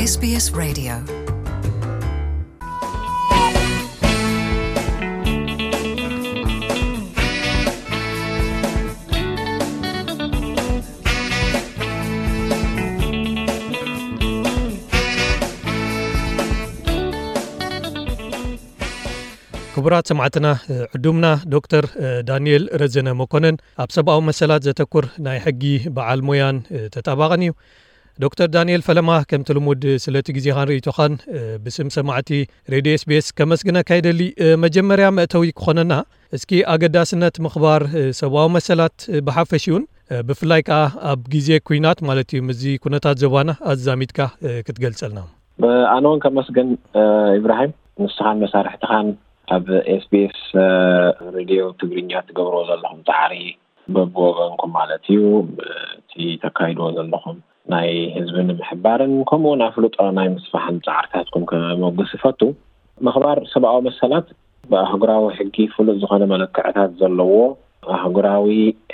S B S Radio. ክቡራት ሰማዕትና፣ ዕዱምና ዶክተር ዳንኤል ረዘነ መኮነን ኣብ ሰብኣዊ መሰላት ዘተኩር ናይ ሕጊ በዓል ሞያን ተጣባቕን እዩ። ዶክተር ዳንኤል ፈለማ፣ ከምቲ ልሙድ ስለቲ ግዜኻን ርእይቶኻን ብስም ሰማዕቲ ሬድዮ S B S ከመስግነካ ይደሊ። መጀመርያ መእተዊ ክኾነና፣ እስኪ ኣገዳስነት ምኽባር ሰብኣዊ መሰላት ብሓፈሽኡን ብፍላይ ከኣ ኣብ ግዜ ኲናት ማለት እዩ፣ ምስዚ ኩነታት ዞባና ኣዛሚድካ ክትገልጸልና። ኣነ እውን ከመስግን፣ ኢብራሂም፣ ንስኻን መሳርሕትኻን ኣብ S B S ሬድዮ ትግርኛ ትገብርዎ ዘለኹም ጻዕሪ በብወገንኩም ማለት እዩ፣ እቲ ተካይድዎ ዘለኹም ናይ ህዝቢ ንምሕባርን ከምኡ እውን ኣፍልጦ ናይ ምስፋሕን ጻዕርታትኩም ከመጉስ እፈቱ። ምኽባር ሰብኣዊ መሰላት ብኣህጉራዊ ሕጊ ፍሉጥ ዝኾነ መለክዕታት ዘለዎ ኣህጉራዊ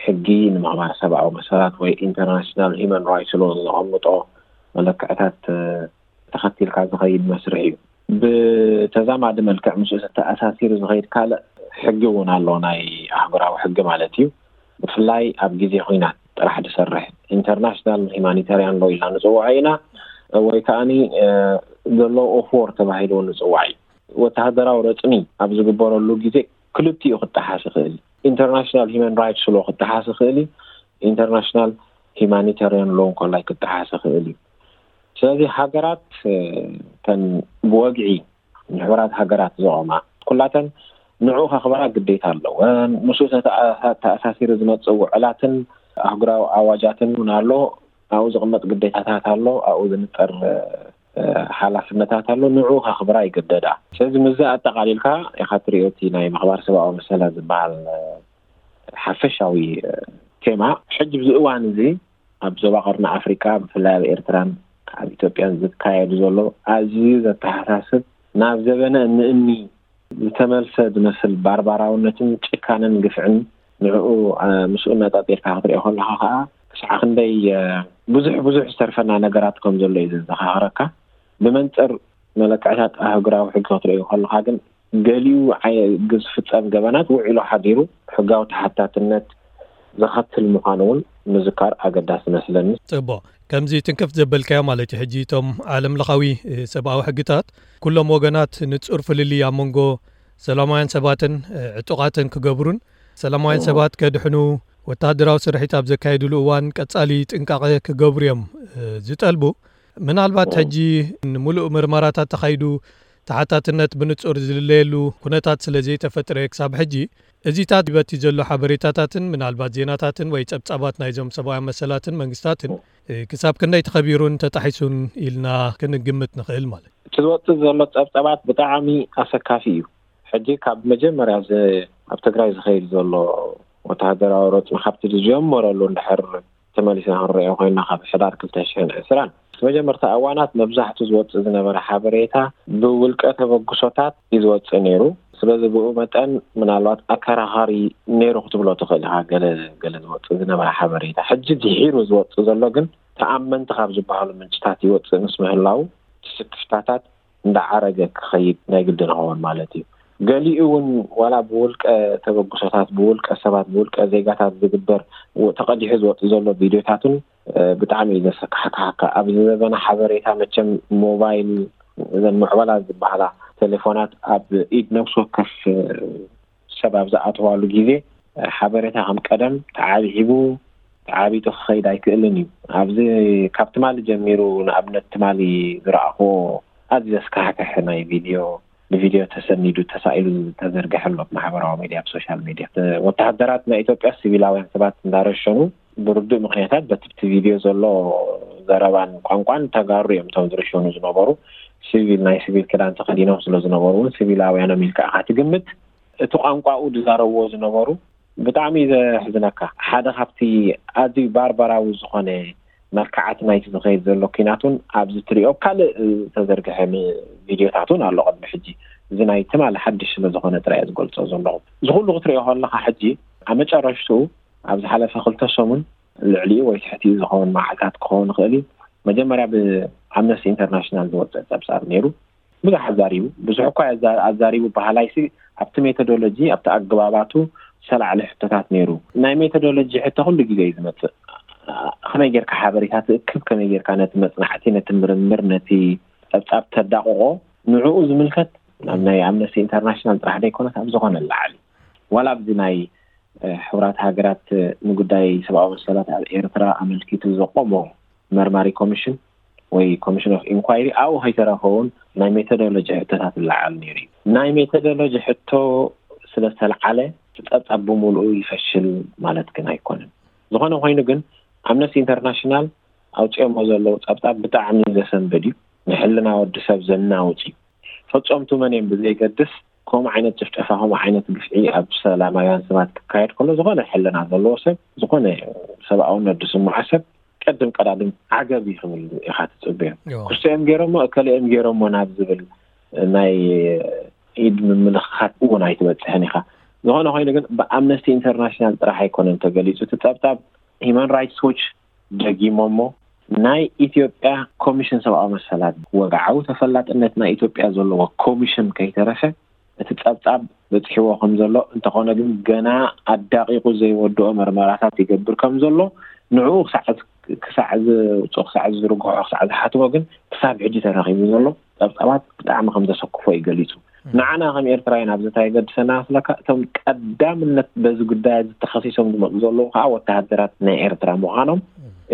ሕጊ ንምኽባር ሰብኣዊ መሰላት ወይ ኢንተርናሽናል ሂውማን ራይትስ ሎ ዘቐምጦ መለክዕታት ተኸቲልካ ዝኸይድ መስርሕ እዩ። ብተዛማዲ መልክዕ ምስኡ ዝተኣሳሲሩ ዝኸይድ ካልእ ሕጊ እውን ኣሎ፣ ናይ ኣህጉራዊ ሕጊ ማለት እዩ። ብፍላይ ኣብ ግዜ ኹናት ጥራሕ ዝሰርሕ ኢንተርናሽናል ሂማኒታርያን ሎ ኢልና ንጽውዖ ኢና፣ ወይ ከኣኒ ዘሎ ኦፍ ዎር ተባሂሉ እውን ንጽዋዕ እዩ። ወተሃደራዊ ረጽሚ ኣብ ዝግበረሉ ግዜ ክልቲኡ ክጠሓስ ይኽእል እዩ። ኢንተርናሽናል ሂማን ራይትስ ሎ ክጠሓስ ይኽእል እዩ፣ ኢንተርናሽናል ሂማኒታርያን ሎ እንኮላይ ክጠሓስ ይኽእል እዩ። ስለዚ ሃገራት፣ እ፣ ተን ብወግዒ ንሕቡራት ሃገራት ዝቖማ ኩላተን ንዕኡ ከኽበራ ግዴታ ኣለወን። ምስኡ ተተኣ-፣ ተኣሳሲሩ ዝመጽእ ውዕላትን ኣህጉራዊ ኣዋጃትን እውን ኣሎ። ኣብኡ ዝቕመጥ ግዴታታት ኣሎ። ኣብኡ ዝንጠር፣ እ፣ ሓላፍነታት ኣሎ። ንዕኡ ከኽብራ ይግደዳ። ስለዚ ምስዚ ኣጠቓሊልካ ኢኻ ትሪኦ እቲ ናይ ምኽባር ሰብኣዊ መሰላት ዝበሃል፣ እ፣ ሓፈሻዊ፣ እ፣ ቴማ። ሕጂ ኣብዚ እዋን እዚ ኣብ ዞባ ቀርኒ ኣፍሪቃ ብፍላይ ኣብ ኤርትራን ኣብ ኢትዮጵያን ዝካየዱ ዘሎ ኣዝዩ ዘተሓሳስብ፣ ናብ ዘበነ እንእኒ ዝተመልሰ ዝመስል ባርባራውነትን ጭካነን ግፍዕን ንዕኡ፣ እ፣ ምስኡ ነጻጺርካ ክትሪኦ ከለኻ ከኣ ክሳዕ ክንደይ፣ እ፣ ብዙሕ ብዙሕ ዝተርፈና ነገራት ከም ዘሎ እዩ ዘዘኻኽረካ። ብመንጽር መለክዕታት ኣህጉራዊ ሕጊ ክትሪኦ ከለኻ ግን ገሊኡ ዓይ-፣ ዝፍጸም ገበናት ውዒሉ ሓዲሩ ሕጋዊ ተሓታትነት ዘኸትል ምዃኑ እውን ምዝካር ኣገዳሲ መስለኒ። ጽቡቕ። ከምዚ ትንክፍ ዘበልካዮ ማለት እዩ፣ ሕጂ እቶም ዓለም ለኻዊ፣ እ፣ ሰብኣዊ ሕግታት ኩሎም ወገናት ንጹር ፍልልይ ኣብ መንጎ ሰላማውያን ሰባትን፣ እ፣ ዕጡቓትን ክገብሩን ሰላማውያን እ። ሰባት ከድሕኑ ወተሃደራዊ ስርሒት ኣብ ዘካየድሉ እዋን ቀጻሊ ጥንቃቐ ክገብሩ እዮም፣ እ፣ ዝጠልቡ። ምናልባት እ። ሕጂ ንምሉእ ምርመራታት ተኻይዱ ተሓታትነት ብንጹር ዝልለየሉ ኩነታት ስለ ዘይተፈጥረ ክሳብ ሕጂ እዚታት በቲ ዘሎ ሓበሬታታትን ምናልባት ዜናታትን ወይ ጸብጻባት ናይዞም ሰብኣዊ መሰላትን መንግስታትን፣ እ፣ ክሳብ ክንደይ ተኸቢሩን ተጣሒሱን ኢልና ክንግምት ንኽእል ማለት እዩ። እቲ ዝወጽእ ዘሎ ጸብጻባት ብጣዕሚ ኣሰካፊ እዩ። ሕጂ ካብ መጀመርያ ዝ-፣ ኣብ ትግራይ ዝኸይድ ዘሎ ወተሃደራዊ ረጽሚ ካብቲ ዝጀመረሉ እንድሕር ተመሊስና ክንሪኦ ኮይና ካብ ሕዳር ክልተ ሽሕን ዕስራን እቲ መጀመርታ እዋናት መብዛሕቱ ዝወጽእ ዝነበረ ሓበሬታ ብውልቀ ተበግሶታት እዩ ዝወጽእ ነይሩ። ስለዚ ብኡ መጠን ምናልባት ኣከራኻሪ ነይሩ ክትብሎ ትኽእል ኢኻ። ገለ፣ ገለ ዝወጽእ ዝነበረ ሓበሬታ ሕጂ ድሒሩ ዝወጽእ ዘሎ ግን ተኣመንቲ ካብ ዝበሃሉ ምንጭታት ይወጽእ ምስ ምህላው እቲ ስክፍታታት እንዳዓረገ ክኸይድ ናይ ግድን ይኸውን ማለት እዩ። ገሊኡ እውን ዋላ ብውልቀ ተበግሶታት፣ ብውልቀ ሰባት፣ ብውልቀ ዜጋታት ዝግበር ው-፣ ተቐዲሑ ዝወጽእ ዘሎ ቪድዮታትን፣ እ፣ ብጣዕሚ እዩ ዘሰካሕክሓካ። ኣብዚ ዘበነ ሓበሬታ መቸም ሞባይል፣ እዘን ምዕበላ ዝበሃላ ቴሌፎናት ኣብ ኢድ ነፍሲ ወከፍ፣ እ፣ ሰብ ኣብ ዝኣተዋሉ ግዜ፣ እ፣ ሓበሬታ ከም ቀደም ተዓብሒቡ፣ ተዓቢጡ ክኸይድ ኣይክእልን እዩ። ኣብዚ ካብ ትማሊ ጀሚሩ፣ ንኣብነት ትማሊ ዝረኣኽዎ ኣዝዩ ዘስካሕክሕ ናይ ቪድዮ፣ ብቪድዮ ተሰኒዱ ተሳኢሉ ዝተዘርግሐ ኣሎ፣ ኣብ ማሕበራዊ ሚድያ፣ ኣብ ሶሻል ሚድያ። እ፣ ወተሃደራት ናይ ኢትዮጵያ ሲቪላውያን ሰባት እንዳረሸኑ ብርዱእ ምኽንያታት በቲ ብቲ ቪድዮ ዘሎ ዘረባን ቋንቋን ተጋሩ እዮም እቶም ዝርሸኑ ዝነበሩ። ሲቪል፣ ናይ ሲቪል ክዳን ተኸዲኖም ስለ ዝነበሩ እውን ሲቪላውያን እዮም ኢልካ ኢኻ ትግምት። እቲ ቋንቋኡ ዝዛረብዎ ዝነበሩ ብጣዕሚ እዩ ዘሕዝነካ። ሓደ ካብቲ ኣዝዩ ባርባራዊ ዝኾነ መልክዓት ናይቲ ዝኸይድ ዘሎ ኲናት እውን ኣብዚ ትሪኦ ካልእ ዝተዘርግሐ ም-፣ ቪድዮታት እውን ኣሎ ቅድሚ ሕጂ። እዚ ናይ ትማሊ ሓድሽ ስለ ዝኾነ ጥራይ እየ ዝገልጾ ዘለኹ። እዚ ኩሉ ክትሪኦ ከለኻ ሕጂ ኣብ መጨረሽትኡ ኣብ ዝሓለፈ ክልተ ሰሙን ልዕሊኡ ወይ ትሕቲኡ ዝኸውን መዓልታት ክኸውን ይኽእል እዩ። መጀመርያ ብ-፣ ኣምነስቲ ኢንተርናሽናል ዝወፀ ፀብፃብ ነይሩ። ብዙሕ ኣዛሪቡ፣ ብዙሕ እኳ ኣዛሪቡ ባህላይሲ ኣብቲ ሜቶዶሎጂ ኣብቲ ኣገባባቱ ሰላዕሊ ሕቶታት ነይሩ። ናይ ሜቶዶሎጂ ሕቶ ኩሉ ግዜ እዩ ዝመፅእ። ከመይ ጌርካ ሓበሬታ ትእክብ፣ ከመይ ጌርካ ነቲ መፅናዕቲ፣ ነቲ ምርምር፣ ነቲ ፀብፃብ ተዳቕቆ፣ ንዕኡ ዝምልከት ናብ ናይ ኣምነስቲ ኢንተርናሽናል ጥራሕ ዘይኮነስ ኣብ ዝኾነ ላዕሊ ዋላ ኣብዚ ናይ ሕቡራት ሃገራት ንጉዳይ ሰብኣዊ መሰላት ኣብ ኤርትራ ኣመልኪቱ ዘቆሞ መርማሪ ኮሚሽን ወይ ኮሚሽን ኦፍ ኢንኳይሪ ኣብኡ ከይተረፈ እውን ናይ ሜቶዶሎጂ ሕቶታት ይለዓል ነይሩ እዩ። ናይ ሜቶዶሎጂ ሕቶ ስለ ዝተለዓለ እቲ ጸብጻብ ብምሉኡ ይፈሽል ማለት ግን ኣይኮነን። ዝኾነ ኮይኑ ግን ኣምነስቲ ኢንተርናሽናል ኣውፂኦሞ ዘለዉ ጸብጻብ ብጣዕሚ ዘሰንብድ እዩ። ንሕልና ወዲ ሰብ ዘናውፅ እዩ። ፈጸምቱ መን እዮም ብዘይገድስ ከምኡ ዓይነት ጭፍጨፋ ከምኡ ዓይነት ግፍዒ ኣብ ሰላማውያን ሰባት ክካየድ ከሎ ዝኾነ ሕልና ዘለዎ ሰብ ዝኾነ ሰብኣውነት ዝስምዖ ሰብ ቀድም ቀዳድም ዓገብ እዩ ክብል ኢኻ ትፅበዮ። ክስኦም ገይሮሞ እከለኦም ገይሮሞ ናብ ዝብል ናይ ኢድ ምምልኻት እውን ኣይትበፅሕን ኢኻ። ዝኾነ ኮይኑ ግን ብኣምነስቲ ኢንተርናሽናል ጥራሕ ኣይኮነን ተገሊፁ እቲ ፀብፃብ። ሂማን ራይትስ ዎች ደጊሞሞ ናይ ኢትዮጵያ ኮሚሽን ሰብኣዊ መሰላት ወግዓዊ ተፈላጥነት ናይ ኢትዮጵያ ዘለዎ ኮሚሽን ከይተረፈ እቲ ጸብጻብ በጺሕዎ ከም ዘሎ እንተኾነ ግን ገና ኣዳቒቑ ዘይወድኦ መርመራታት ይገብር ከም ዘሎ ንዕኡ ክሳዕ ክሳዕ ዝውፅኦ ክሳዕ ዝርግሖ ክሳዕ ዝሓትሞ ግን ክሳብ ሕጂ ተረኺቡ ዘሎ ጸብጻባት ብጣዕሚ ከም ዘሰክፎ እዩ ገሊጹ። ንዓና ከም ኤርትራውያን ኣብዚ እንታይ የገድሰና መስለካ? እቶም ቀዳምነት በዚ ጉዳይ እዚ ተኸሲሶም ዝመፁ ዘለዉ ከዓ ወተሃደራት ናይ ኤርትራ ምዃኖም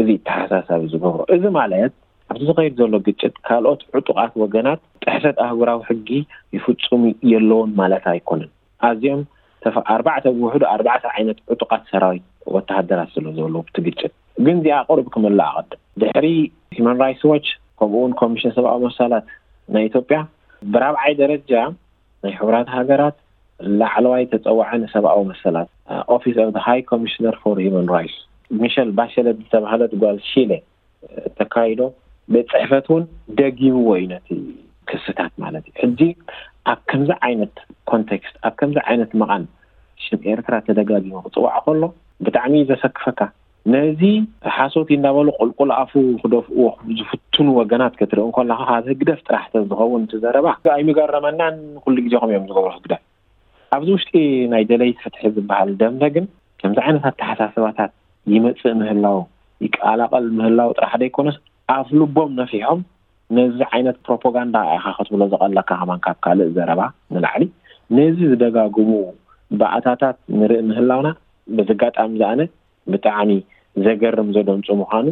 እዚ ተሓሳሳቢ ዝገብሮ። እዚ ማለት ኣብዚ ዝኸይድ ዘሎ ግጭት ካልኦት ዕጡቓት ወገናት ጥሕሰት ኣህጉራዊ ሕጊ ይፍፁም የለውን ማለት ኣይኮነን። ኣዝዮም ተፈ- ኣርባዕተ ብውሕዱ ኣርባዕተ ዓይነት ዕጡቓት ሰራዊት ወተሃደራት ስለ ዘለዉ እቲ ግጭት ግን እዚኣ ቁሩብ ክምልእ ኣቐድም። ድሕሪ ሂማን ራይትስ ዎች ከምኡ እውን ኮሚሽን ሰብኣዊ መሰላት ናይ ኢትዮጵያ ብራብዓይ ደረጃ ናይ ሕቡራት ሃገራት ላዕለዋይ ተፀዋዒ ንሰብኣዊ መሰላት ኦፊስ ኦፍ ሃይ ኮሚሽነር ፎር ሂማን ራይትስ ሚሸል ባሸለት ዝተባህለት ጓል ሺለ ተካይዶ ቤት ፅሕፈት እውን ደጊምዎ እዩ ነቲ ክስታት ማለት እዩ። ሕጂ ኣብ ከምዚ ዓይነት ኮንቴክስት ኣብ ከምዚ ዓይነት መቓን ሽም ኤርትራ ተደጋጊሙ ክፅዋዕ ከሎ ብጣዕሚ እዩ ዘሰክፈካ። ነዚ ሓሶት እዩ እንዳበሉ ቁልቁል ኣፉ ክደፍእዎ ዝፍትኑ ወገናት ክትርኢ እንከለኻ ካብ ህግደፍ ጥራሕ ተዝኸውን እቲ ዘረባ ኣይምገረመናን። ኩሉ ግዜ ከም እዮም ዝገብሩ ህግደፍ። ኣብዚ ውሽጢ ናይ ደለይቲ ፍትሒ ዝበሃል ደምበ ግን ከምዚ ዓይነት ኣተሓሳስባታት ይመፅእ ምህላው ይቀላቐል ምህላው ጥራሕ ዘይኮነስ ኣፍ ልቦም ነፊሖም ነዚ ዓይነት ፕሮፓጋንዳ ኢኻ ክትብሎ ዝቐለካ ከማን ካብ ካልእ ዘረባ ንላዕሊ ነዚ ዝደጋግሙ ባእታታት ንርኢ ምህላውና በዚ ኣጋጣሚ ዝኣነ ብጣዕሚ ዘገርም ዘደንፁ ምዃኑ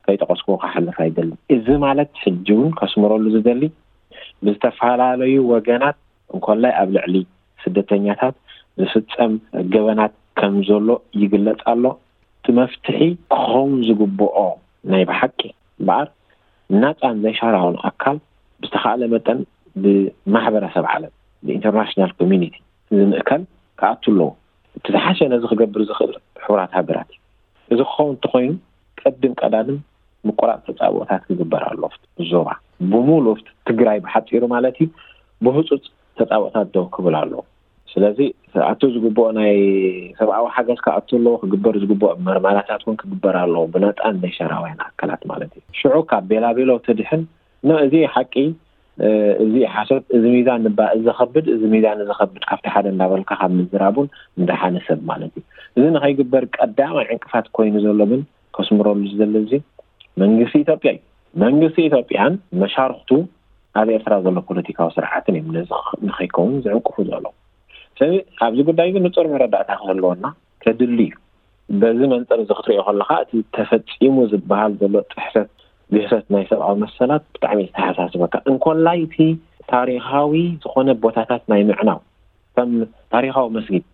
ከይጠቐስኩ ክሓልፍ ኣይደልን። እዚ ማለት ሕጂ እውን ከስምረሉ ዝደሊ ብዝተፈላለዩ ወገናት እንኮላይ ኣብ ልዕሊ ስደተኛታት ዝፍጸም ገበናት ከም ዘሎ ይግለጽ ኣሎ። እቲ መፍትሒ ክኸውን ዝግብኦ ናይ ብሓቂ እምበኣር ናጻን ዘይሻራውን ኣካል ብዝተኻእለ መጠን ብማሕበረሰብ ዓለም ብኢንተርናሽናል ኮሚኒቲ ዝምእከል ክኣቱ ኣለዎ። እቲ ዝሓሸ ነዚ ክገብር ዝኽእል ሕቡራት ሃገራት እዩ። እዚ ክኸውን እንተኾይኑ ቀድም ቀዳድም ምቁራፅ ተፃብኦታት ክግበር ኣሎ። ዞባ ብምሉእ ትግራይ ብሓፂሩ ማለት እዩ ብህፁፅ ተፃብኦታት ደው ክብል ኣለዎ። ስለዚ ኣቱ ዝግብኦ ናይ ሰብኣዊ ሓገዝ ክኣቱ ኣለዎ፣ ክግበር ዝግብኦ መርማራታት እውን ክግበር ኣለዎ ብነፃን ዘይሻራውያን ኣካላት ማለት እዩ። ሽዑ ካብ ቤላቤሎ ትድሕን ኖ እዚ ሓቂ እዚ ሓሶት እዚ ሚዛን ንባ እዚ ከብድ እዚ ሚዛን እዚ ከብድ ካብቲ ሓደ እንዳበልካ ካብ ምዝራቡን እንዳሓነ ሰብ ማለት እዩ። እዚ ንኸይግበር ቀዳማይ ዕንቅፋት ኮይኑ ዘሎ ግን ከስምረሉ ዝደሊ እዚ መንግስቲ ኢትዮጵያ እዩ። መንግስቲ ኢትዮጵያን መሻርክቱ ኣብ ኤርትራ ዘሎ ፖለቲካዊ ስርዓትን እዮም ነዚ ንኸይከውን ዝዕንቅፉ ዘለዉ። ስለዚ ኣብዚ ጉዳይ ግን ንፁር መረዳእታ ክህልወና ከድሊ እዩ። በዚ መንፅር እዚ ክትሪኦ ከለካ እቲ ተፈፂሙ ዝበሃል ዘሎ ጥሕሰት ግህሰት ናይ ሰብኣዊ መሰላት ብጣዕሚ ዝተሓሳስበካ እንኮላይ እቲ ታሪካዊ ዝኾነ ቦታታት ናይ ምዕናው ከም ታሪካዊ መስጊድ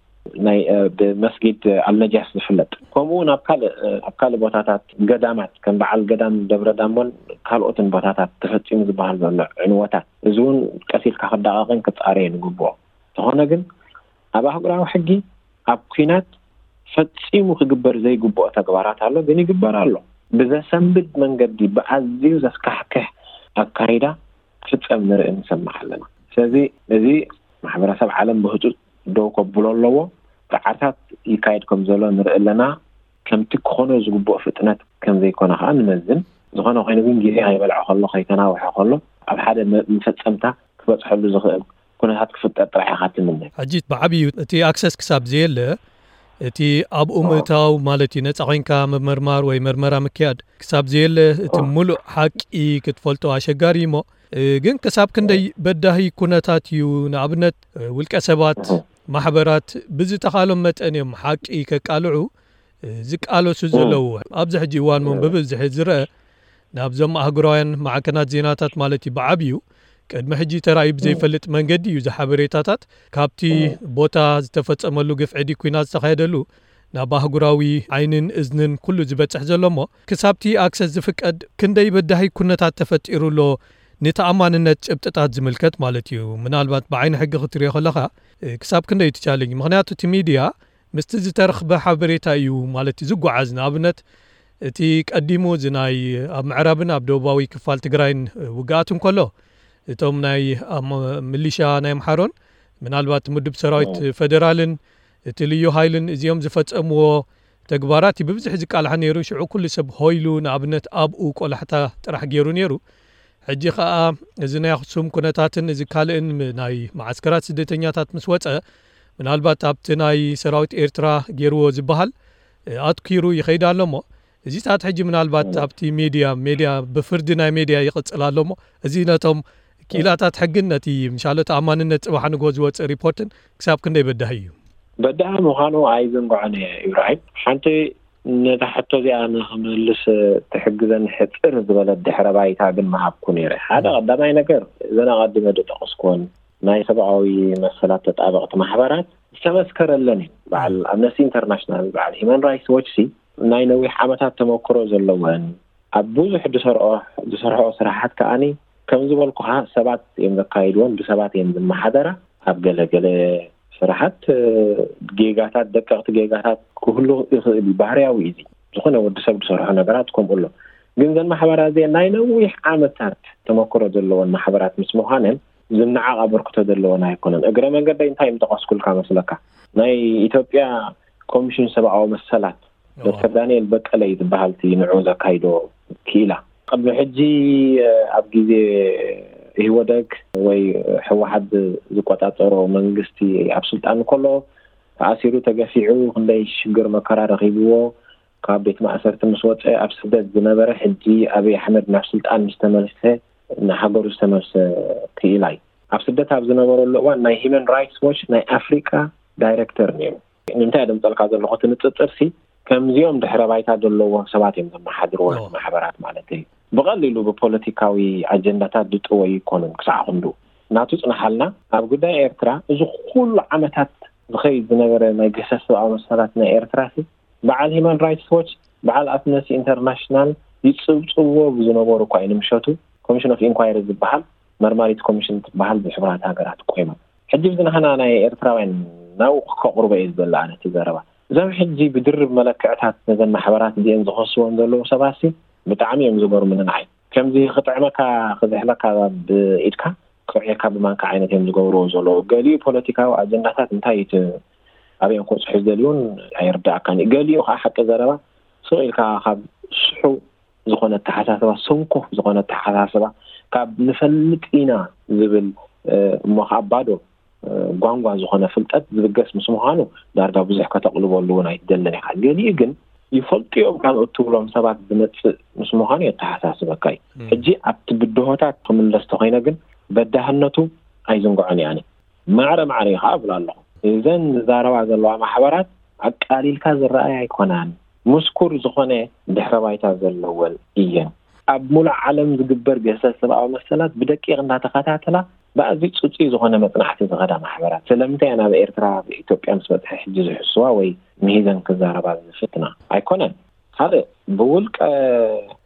ናይ ብመስጊድ ኣልነጃስ ዝፍለጥ ከምኡ እውን ኣብ ካልእ ኣብ ካልእ ቦታታት ገዳማት ከም በዓል ገዳም ደብረ ዳሞን ካልኦትን ቦታታት ተፈፂሙ ዝበሃል ዘሎ ዕንወታት እዚ እውን ቀስ ኢልካ ክዳቐቅን ክፃረየን ይግብኦ። ዝኾነ ግን ኣብ ኣህጉራዊ ሕጊ ኣብ ኲናት ፈጺሙ ክግበር ዘይግብኦ ተግባራት ኣሎ፣ ግን ይግበር ኣሎ። ብዘሰንብድ መንገዲ፣ ብኣዝዩ ዘስካሕክሕ ኣካይዳ ክፍጸም ንርኢ ንሰምዕ ኣለና። ስለዚ እዚ ማሕበረሰብ ዓለም ብህጹጽ ደው ከብሎ ኣለዎ። ጻዕርታት ይካየድ ከም ዘሎ ንርኢ ኣለና። ከምቲ ክኾኖ ዝግብኦ ፍጥነት ከም ዘይኮነ ከኣ ንመዝን። ዝኾነ ኮይኑ ግን ግዜ ከይበልዖ ከሎ፣ ከይተናውሐ ከሎ፣ ኣብ ሓደ መ-፣ መፈጸምታ ክበጽሐሉ ዝኽእል ኩነታት ክፍጠር ጥራሕ ኢኻ ትምነ። ሕጂ ብዓብዩ እቲ ኣክሰስ ክሳብ ዘየለ፣ እቲ ኣብኡ ምእታው ማለት እዩ፣ ነጻ ኮይንካ ምምርማር ወይ መርመራ ምክያድ ክሳብ ዘየለ፣ እቲ ሙሉእ ሓቂ ክትፈልጦ ኣሸጋሪ እሞ፣ እ፣ ግን ክሳብ ክንደይ በዳሂ ኩነታት እዩ? ንኣብነት፣ እ፣ ውልቀ ሰባት፣ ማሕበራት ብዝተኻሎም መጠን እዮም ሓቂ ከቃልዑ፣ እ፣ ዝቃለሱ ዘለዉ። ኣብዚ ሕጂ እዋን እውን ብብዝሒ ዝረአ ናብዞም ኣህጉራውያን ማዕከናት ዜናታት ማለት እዩ ብዓብዩ ቅድሚ ሕጂ ተራእዩ ብዘይፈልጥ መንገዲ እዩ እዚ ሓበሬታታት ካብቲ ቦታ ዝተፈጸመሉ ግፍዒ ድዩ ኲናት ዝተኻየደሉ ናብ ኣህጉራዊ ዓይንን እዝንን ኩሉ ዝበጽሕ ዘሎ እሞ፣ ክሳብቲ ኣክሰስ ዝፍቀድ ክንደይ በዳሂ ኩነታት ተፈጢሩ ኣሎ፣ ንተኣማንነት ጭብጥታት ዝምልከት ማለት እዩ። ምናልባት ብዓይኒ ሕጊ ክትሪኦ ከለኻ፣ እ፣ ክሳብ ክንደይ እቲ ቻሌንጅ? ምኽንያቱ እቲ ሚድያ ምስቲ ዝተረኽበ ሓበሬታ እዩ ማለት እዩ ዝጓዓዝ። ንኣብነት እቲ ቀዲሙ እዚ ናይ ኣብ ምዕራብን ኣብ ደቡባዊ ክፋል ትግራይን ውግኣት እንከሎ፣ እቶም ናይ ኣም-፣ ሚሊሻ ናይ ኣምሓሮን ምናልባት ምድብ ሰራዊት ፌደራልን እቲ ልዩ ሃይልን እዚኦም ዝፈጸምዎ ተግባራት እዩ ብብዝሒ ዝቃልሓ ነይሩ። ሽዑ ኩሉ ሰብ ሆይሉ ንኣብነት ኣብኡ ቆላሕታ ጥራሕ ገይሩ ነይሩ። ሕጂ ኸኣ እዚ ናይ ኣኽሱም ኩነታትን እዚ ካልእን ም-፣ ናይ መዓስከራት ስደተኛታት ምስ ወጸ፣ ምናልባት ኣብቲ ናይ ሰራዊት ኤርትራ ገይርዎ ዝበሃል፣ እ፣ ኣትኪሩ ይኸይድ ኣሎ እሞ፣ እዚታት ሕጂ ምናልባት ኣብቲ ሜድያ፣ ሜድያ ብፍርዲ ናይ ሜድያ ይቕጽል ኣሎ እሞ፣ እዚ ነቶም ክኢላታት ሕግን ነቲ ምሻሎ ተኣማንነት ጽባሕ ንግሆ ዝወጽእ ሪፖርትን ክሳብ ክንደይ በዳሂ እዩ? በዳሂ ምዃኑ ኣይዝንግዖን እየ ኢብራሂም። ሓንቲ ነታ ሕቶ እዚኣ ንኽምልስ ትሕግዘኒ ሕጽር ዝበለት ድሕረ ባይታ ግን ምሃብኩ ነይረ። ሓደ ቀዳማይ ነገር፣ እዘን ኣቐዲመ ዝጠቐስኩወን ናይ ሰብኣዊ መሰላት ተጣበቕቲ ማሕበራት ዝተመስከረለን እዩ። በዓል ኣምነስቲ ኢንተርናሽናል፣ በዓል ሂማን ራይትስ ዎች ሲ ናይ ነዊሕ ዓመታት ተመክሮ ዘለወን፣ ኣብ ብዙሕ ዝሰርዖ-፣ ዝሰርሖ ስራሓት ከኣኒ ከም ዝበልኩኻ ሰባት እዮም ዘካይድዎን ብሰባት እዮም ዝመሓደራ። ኣብ ገለ ገለ ስራሓት፣ እ፣ ጌጋታት፣ ደቀቕቲ ጌጋታት ክህሉ ይኽእል እዩ። ባህርያዊ እዩ እዚ። ዝኾነ ወዲ ሰብ ዝሰርሖ ነገራት ከምኡ ኣሎ። ግን እዘን ማሕበራት እዚአን ናይ ነዊሕ ዓመታት ተመክሮ ዘለወን ማሕበራት ምስ ምዃነን ዝነዓቕ ኣበርክቶ ዘለወን ኣይኮነን። እግረ መንገደይ እንታይ ምጠቐስኩልካ መስለካ? ናይ ኢትዮጵያ ኮሚሽን ሰብኣዊ መሰላት ዶክተር ዳንኤል በቀለ እዩ ዝበሃል እቲ ንዑ ዘካይዶ ክኢላ። ቅድሚ ሕጂ፣ እ፣ ኣብ ግዜ ኢህወደግ ወይ ህወሓት ዝ-፣ ዝቆጻጸሮ መንግስቲ ኣብ ስልጣን ከሎ ተኣሲሩ፣ ተገፊዑ፣ ክንደይ ሽግር መከራ ረኺብዎ፣ ካብ ቤት ማእሰርቲ ምስ ወጸ ኣብ ስደት ዝነበረ፣ ሕጂ ኣብይ ኣሕመድ ናብ ስልጣን ምስ ተመልሰ፣ ንሃገሩ ዝተመልሰ ክኢላ እዩ። ኣብ ስደት ኣብ ዝነበረሉ እዋን ናይ ሂማን ራይትስ ዎች ናይ ኣፍሪቃ ዳይሬክተር ነይሩ። ንምንታይ እየ ደምጸልካ ዘለኹ? እቲ ንጽጽር ሲ ከምዚኦም ድሕረ ባይታ ዘለዎም ሰባት እዮም ዘመሓድርዎ፣ ማሕበራት ማለት እዩ። ብቐሊሉ ብፖለቲካዊ ኣጀንዳታት ዝጥወዩ ይኮኑን። ክሳዕ ክንዱ ናቱ ጽናሓልና፣ ኣብ ጉዳይ ኤርትራ እዚ ኩሉ ዓመታት ዝኸይድ ዝነበረ ናይ ገሰስ ሰብኣዊ መሰላት ናይ ኤርትራ ሲ በዓል ሂማን ራይትስ ዎች፣ በዓል ኣምነስቲ ኢንተርናሽናል ይጽብጽብዎ ብዝነበሩ እኳ እዩ። ንምሸቱ ኮሚሽን ኦፍ ኢንኳይሪ ዝበሃል መርማሪት ኮሚሽን ትበሃል ብሕቡራት ሃገራት ቆይማ። ሕጂ ብዝናህና ናይ ኤርትራውያን ናብኡ ከቕርቦ እየ ዝደሊ ኣነ እቲ ዘረባ። እዞም ሕጂ ብድርብ መለክዕታት ነዘን ማሕበራት እዚአን ዝኸስወን ዘለዉ ሰባት ሲ ብጣዕሚ እዮም ዝገርሙኒ ንዓይ። ከምዚ ክጥዕመካ ክዝሕለካ ብኢድካ ክውዕየካ ብማንካ ዓይነት እዮም ዝገብርዎ ዘለዉ። ገሊኡ ፖለቲካዊ ኣጀንዳታት እንታይ እቲ ኣበይ እዮም ክበጽሑ ዝደልዩን ኣይርዳእካን እዩ። ገሊኡ ከዓ ሓቂ ዘረባ ስቕ ኢልካ ካብ ስሑ ዝኾነ ኣተሓሳስባ፣ ሰንኮፍ ዝኾነ ኣተሓሳስባ፣ ካብ ንፈልጥ ኢና ዝብል፣ እ፣ እሞ ከዓ ባዶ፣ እ፣ ጓንጓ ዝኾነ ፍልጠት ዝብገስ ምስ ምዃኑ ዳርጋ ብዙሕ ከተቕልበሉ እውን ኣይትደልን ኢኻ። ገሊኡ ግን ይፈልጡ እዮም ካብ እትብሎም ሰባት ዝመጽእ ምስ ምዃኑ የተሓሳስበካ እዩ። ሕጂ ኣብቲ ብድሆታት ክምለስ ተኾይነ ግን በዳህነቱ ኣይዝንግዖን እየ ኣነ። ማዕረ ማዕረ እዩ ከዓ እብል ኣለኹ። እዘን ዝዛረባ ዘለዋ ማሕበራት ኣቃሊልካ ዝረኣያ ኣይኮናን። ምስኩር ዝኾነ ድሕረ ባይታ ዘለወን እየን። ኣብ ሙሉእ ዓለም ዝግበር ገሰስ ሰብኣዊ መሰላት ብደቂቕ እንዳተኸታተላ ብኣዝዩ ጽጹይ ዝኾነ መጽናዕቲ ዝኸዳ ማሕበራት። ስለምንታይ እየን ኣብ ኤርትራ፣ ኣብ ኢትዮጵያ ምስ በጽሐ ሕጂ ዝሕስዋ ወይ ምሂዘን ክዛረባ ዝፍትና? ኣይኮነን። ካልእ ብውልቀ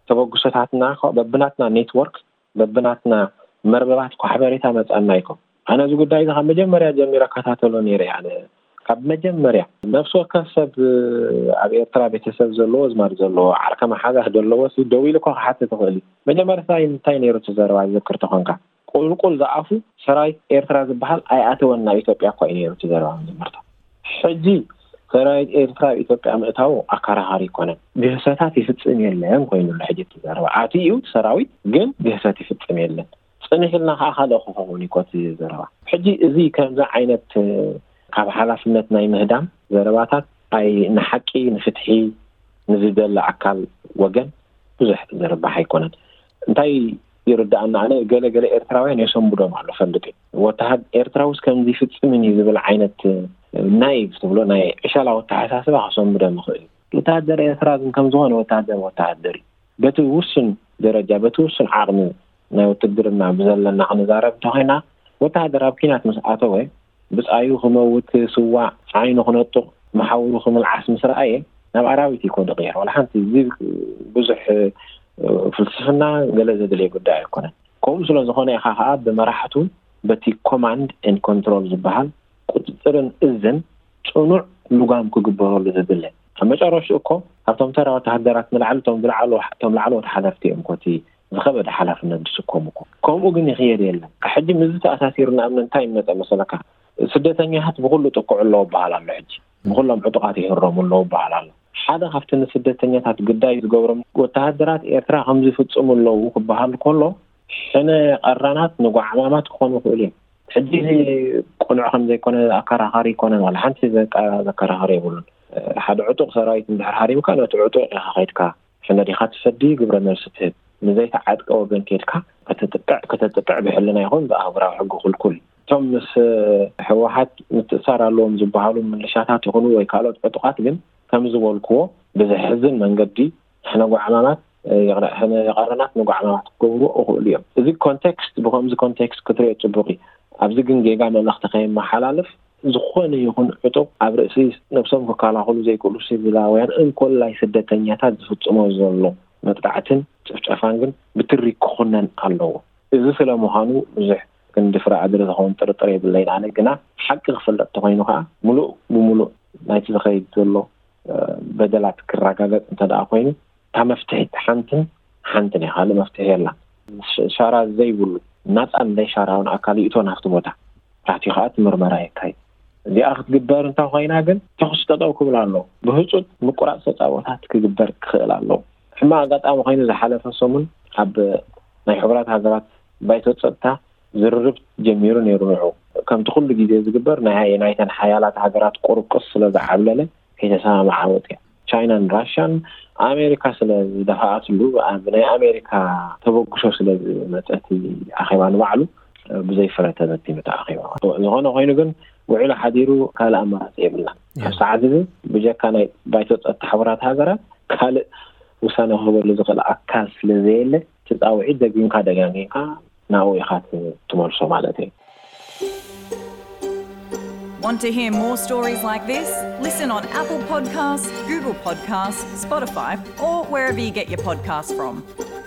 ተበግሶታትና፣ በብናትና ኔትወርክ፣ በብናትና መርበባት እኮ ሓበሬታ መጻና ይኮ። ኣነ እዚ ጉዳይ እዚ ካብ መጀመርያ ጀሚረ እከታተሎ ነይረ እየ። ኣነ ካብ መጀመርያ ነፍሲ ወከፍ ሰብ ኣብ ኤርትራ ቤተሰብ ዘለዎ፣ ኣዝማድ ዘለዎ፣ ዓርካ መሓዛ ዘለዎ ሲ ደው ኢሉ እኮ ክሓትት ይኽእል እዩ። መጀመርያ እንታይ፣ እንታይ ነይሩ እቲ ዘረባ ዝዝክር ተኾንካ? ቁልቁል ዝኣፉ ሰራዊት ኤርትራ ዝበሃል ኣይኣተወን ናብ ኢትዮጵያ እኮ እዩ ነይሩ እቲ ዘረባ መጀመርታ። ሕጂ ሰራዊት ኤርትራ ኣብ ኢትዮጵያ ምእታው ኣከራኻሪ ኣይኮነን። ግህሰታት ይፍጽም የለን ኮይኑሉ ሕጂ እቲ ዘረባ። ኣትዩ እዩ ሰራዊት፣ ግን ግህሰት ይፍጽም የለን። ጽንሕ ኢልና ከዓ ካልእ ክኸውን እዩ እቲ ዘረባ። ሕጂ እዚ ከምዚ ዓይነት ካብ ሓላፍነት ናይ ምህዳም ዘረባታት ኣይ ንሓቂ ንፍትሒ ንዝደሊ ኣካል ወገን ብዙሕ ዝርባሕ ኣይኮነን። እንታይ ይርዳኣና ኣነ፣ ገለ ገለ ኤርትራውያን የሰንብዶም ኣሎ ፈልጥ። ወተሃድ ኤርትራውስ ከምዚ ይፍጽምን እዩ ዝብል ዓይነት ናይ ትብሎ ናይ ዕሸላ ኣተሓሳስባ ከሰንብዶም ይኽእል እዩ። ወተሃደር ኤርትራ ግን ከም ዝኾነ ወተሃደር ወተሃደር እዩ። በቲ ውሱን ደረጃ በቲ ውሱን ዓቕሚ ናይ ውትድርና ብዘለና ክንዛረብ እንተኾይና፣ ወተሃደር ኣብ ኪናት ምስ ኣተወ ብጻዩ ክመውት ክስዋእ ዓይኑ ክነጡቕ መሓውሩ ክምልዓስ ምስ ረኣየ ናብ ኣራዊት እዩ ኮ ዝቕየር። ዋላ ሓንቲ እዚ ብዙሕ ፍልስፍና ገለ ዘድልየ ጉዳይ ኣይኮነን። ከምኡ ስለ ዝኾነ ኢኻ ከዓ ብመራሕቱ በቲ ኮማንድ ኤንድ ኮንትሮል ዝበሃል ቁፅፅርን እዝን ፅኑዕ ልጓም ክግበረሉ ዘድለ። ኣብ መጨረሽኡ እኮ ካብቶም ተራ ወተሃደራት ንላዕሊ እቶም ዝለዓሉ እቶም ላዕለዎት ሓለፍቲ እዮም ኮቲ ዝኸበደ ሓላፍነት ዝስከሙ እኮ። ከምኡ ግን ይኽየድ የለን። ሕጂ ምዚ ተኣሳሲሩ ንኣብነት እንታይ ይመፀ መሰለካ? ስደተኛታት ብኩሉ ጥቅዑ ኣለዎ በሃል ኣሎ። ሕጂ ንኩሎም ዕጡቃት ይህረሙ ኣለዉ በሃል ኣሎ። ሓደ ካብቲ ንስደተኛታት ግዳይ ዝገብሮም ወተሃደራት ኤርትራ ከምዚ ይፍጽሙ ኣለዉ ክበሃል ከሎ ሕነ ቀራናት ንጓዕማማት ክኾኑ ይኽእሉ እዮም። ሕጂ እዚ ቅኑዕ ከም ዘይኮነ ኣከራኻሪ ኣይኮነን። ዋላ ሓንቲ ዘቃ- ዘከራኸሪ የብሉን። ሓደ ዕጡቕ ሰራዊት እንድሕር ሃሪምካ ነቲ ዕጡቕ ኢኻ ከይድካ ሕነ ዲኻ ትሰዲ ግብረ መልሲ ትህብ። ንዘይተዓጥቀ ወገን ከይድካ ከተጥቅዕ ከተጥቅዕ ብሕልና ይኹን ብኣህጉራዊ ሕጊ ክልኩል እዩ። እቶም ምስ ህወሓት ምትእሳር ኣለዎም ዝበሃሉ ምልሻታት ይኹኑ ወይ ካልኦት ዕጡቓት ግን ከም ዝበልክዎ ብዘሕዝን መንገዲ ሕነ ጓዕማማት ይቕረ- ሕነ ቀረናት ንጓዕማማት ክገብሩ ይኽእሉ እዮም። እዚ ኮንቴክስት ብከምዚ ኮንቴክስት ክትሪኦ ጽቡቕ እዩ። ኣብዚ ግን ጌጋ መልእኽቲ ከየመሓላልፍ ዝኾነ ይኹን ዕጡቕ ኣብ ርእሲ ነብሶም ክከላኸሉ ዘይክእሉ ሲቪላውያን እንኮላይ ስደተኛታት ዝፍጽሞ ዘሎ መጥቃዕትን ጭፍጨፋን ግን ብትሪ ክኹነን ኣለዎ። እዚ ስለ ምዃኑ ብዙሕ ክንዲ ፍረ ኣድሪ ዝኸውን ጥርጥር የብለይን። ኣነ ግና ሓቂ ክፍለጥ ተኾይኑ ከዓ ምሉእ ብምሉእ ናይቲ ዝኸይድ ዘሎ በደላት ክረጋገጽ እንተ ደኣ ኮይኑ እታ መፍትሒት ሓንትን ሓንትን እያ። ካልእ መፍትሒ የላን። ሻራ ዘይብሉ ናፃን ዘይሻራውን ኣካል ይእቶ ናብቲ ቦታ ኣትዩ ከዓ እቲ ምርመራ የካይድ። እዚኣ ክትግበር እንተ ኮይና ግን ተኹሲ ጠጠው ክብል ኣለዎ። ብህፁፅ ምቁራፅ ተፃቦታት ክግበር ክኽእል ኣለዎ። ሕማቕ ኣጋጣሚ ኮይኑ ዝሓለፈ ሰሙን ኣብ ናይ ሕቡራት ሃገራት ባይቶ ፀጥታ ዝርርብ ጀሚሩ ነይሩ። ንዑ ከምቲ ኩሉ ግዜ ዝግበር ናይ ናይተን ሓያላት ሃገራት ቁርቁስ ስለ ዝዓብለለ ከይተሰማምዓ ወፅያ። ቻይናን ራሽያን ኣሜሪካ ስለ ዝደፋኣትሉ ብናይ ኣሜሪካ ተበግሶ ስለ ዝመፀ እቲ ኣኼባ ንባዕሉ ብዘይ ፍረ ተበቲኑ ተኣኺባ። ዝኾነ ኮይኑ ግን ውዕሉ ሓዲሩ ካልእ ኣማራፂ የብልና። ኣብ ሰዓት እዚ ብጀካ ናይ ባይቶ ፀጥታ ሕቡራት ሃገራት ካልእ ውሳነ ክህበሉ ዝኽእል ኣካል ስለ ዘየለ እቲ ፃውዒት ደጊምካ ደጋጊምካ ናብኡ ኢኻ ትመልሶ ማለት እዩ። Want to hear more stories like this? Listen on Apple Podcasts, Google Podcasts, Spotify, or wherever you get your podcasts from.